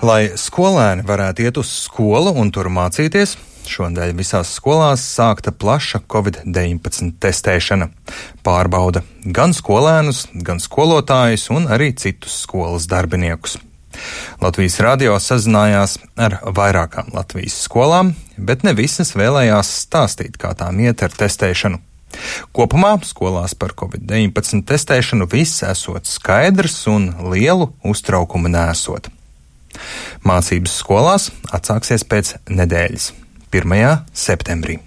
Lai skolēni varētu iet uz skolu un tur mācīties, šodien visās skolās sākta plaša Covid-19 testēšana. Pārbauda gan skolēnus, gan skolotājus un arī citus skolas darbiniekus. Latvijas radio sazinājās ar vairākām Latvijas skolām, bet ne visas vēlējās stāstīt, kā tām iet ar testēšanu. Kopumā skolās par Covid-19 testēšanu viss esot skaidrs un lielu uztraukumu nesot. Mācības skolās atsāksies pēc nedēļas, 1. septembrī.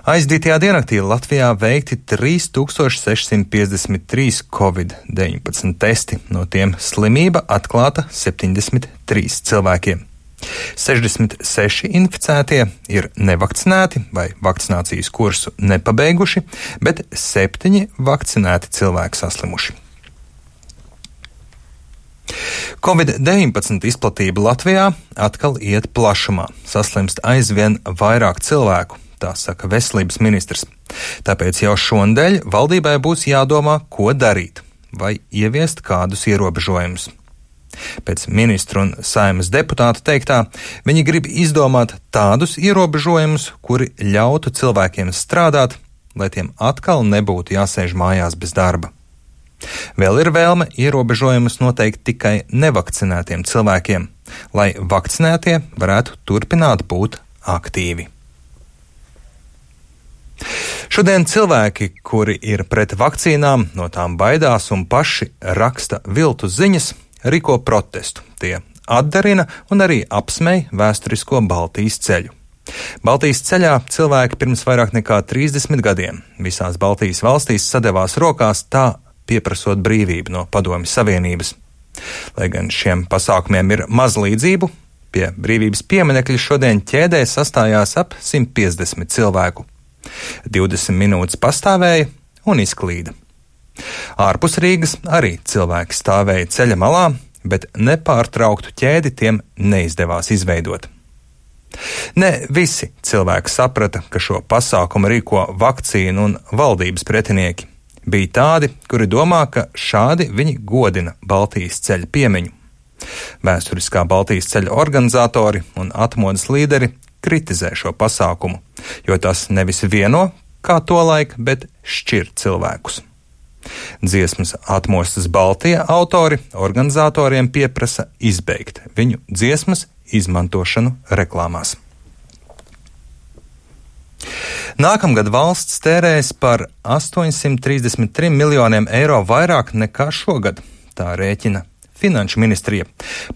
Aizdītajā diennaktī Latvijā veikti 3653 Covid-19 testi, no tiem slimība atklāta 73 cilvēkiem. 66 inficētie ir nevakcinēti vai vakcinācijas kursu nepabeiguši, bet 7 vakcinēti cilvēki saslimuši. Covid-19 izplatība Latvijā atkal iet plašumā, saslimst aizvien vairāk cilvēku, tā saka veselības ministrs. Tāpēc jau šonedēļ valdībai būs jādomā, ko darīt, vai ieviest kādus ierobežojumus. Pēc ministru un Saeimas deputātu teiktā, viņi grib izdomāt tādus ierobežojumus, kuri ļautu cilvēkiem strādāt, lai tiem atkal nebūtu jāsēž mājās bez darba. Vēl ir vēlme ierobežojumus noteikt tikai nevakcinētiem cilvēkiem, lai vakcinētie varētu turpināt būt aktīvi. Šodien cilvēki, kuri ir pret vakcīnām, no tām baidās un paši raksta viltus ziņas, rīko protestu. Tie atdarina un arī apsmej vēsturisko Baltijas ceļu. Baltijas ceļā cilvēki pirms vairāk nekā 30 gadiem visās Baltijas valstīs sadevās rokās, tā pieprasot brīvību no Padomju Savienības. Lai gan šiem pasākumiem ir maz līdzību, pie brīvības pieminekļa šodien ķēdē sastājās ap 150 cilvēku. 20 minūtes pastāvēja un izklīda. Ārpus Rīgas arī cilvēki stāvēja ceļa malā, bet nepārtrauktu ķēdi tiem neizdevās izveidot. Ne visi cilvēki saprata, ka šo pasākumu rīko vakcīnu un valdības pretinieki. Bija tādi, kuri domā, ka šādi viņi godina Baltijas ceļa piemiņu. Vēsturiskā Baltijas ceļa organizatori un atmodas līderi kritizē šo pasākumu, jo tas nevis vieno, kā tolaik, bet šķir cilvēkus. Dziesmas Atmostas Baltija autori organizatoriem pieprasa izbeigt viņu dziesmas izmantošanu reklāmās. Nākamgad valsts tērēs par 833 miljoniem eiro vairāk nekā šogad, tā rēķina Finanšu ministrija.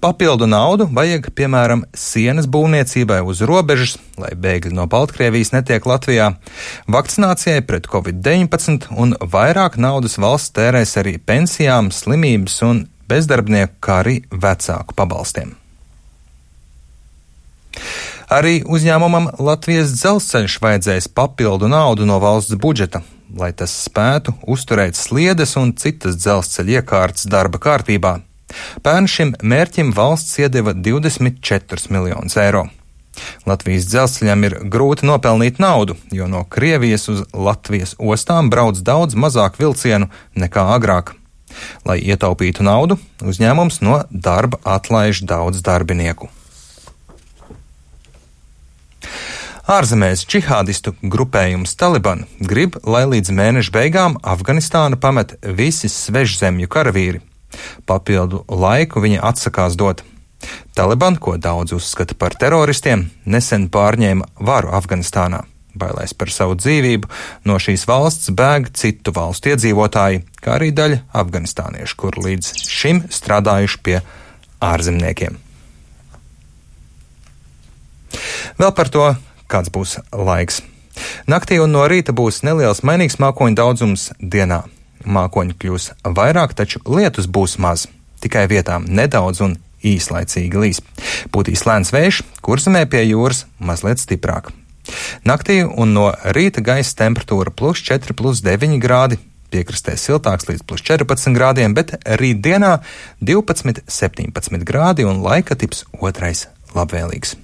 Papildu naudu vajag, piemēram, sienas būvniecībai uz robežas, lai bēgļi no Baltkrievijas netiek Latvijā, vakcinācijai pret Covid-19 un vairāk naudas valsts tērēs arī pensijām, slimības un bezdarbnieku, kā arī vecāku pabalstiem. Arī uzņēmumam Latvijas dzelzceļš vajadzēs papildu naudu no valsts budžeta, lai tas spētu uzturēt sliedes un citas dzelzceļa iekārtas darba kārtībā. Pērn šim mērķim valsts iedeva 24 miljonus eiro. Latvijas dzelzceļam ir grūti nopelnīt naudu, jo no Krievijas uz Latvijas ostām brauc daudz mazāk vilcienu nekā agrāk. Lai ietaupītu naudu, uzņēmums no darba atlaiž daudz darbinieku. Ārzemēs džihādistu grupējums Taliban grib, lai līdz mēneša beigām Afganistānu pamet visi svežzemju karavīri. Papildu laiku viņi atsakās dot. Taliban, ko daudz uzskata par teroristiem, nesen pārņēma varu Afganistānā. Bailēs par savu dzīvību, no šīs valsts bēg citu valstu iedzīvotāji, kā arī daļa afganistāniešu, kur līdz šim strādājuši pie ārzemniekiem. Vēl par to, kāds būs laiks. Naktī un no rīta būs neliels mainīgs mākoņu daudzums dienā. Mākoņi kļūs vairāk, taču lietus būs maz. Tikai vietām nedaudz un īslaicīgi līs. Pūtīs lēns vējš, Kurzemē pie jūras mazliet stiprāk. Naktī un no rīta gaisa temperatūra +4, +9 grādi, piekrastē siltāks līdz +14 grādiem, bet rītdienā 12, 17 grādi un laika tips otrais labvēlīgs.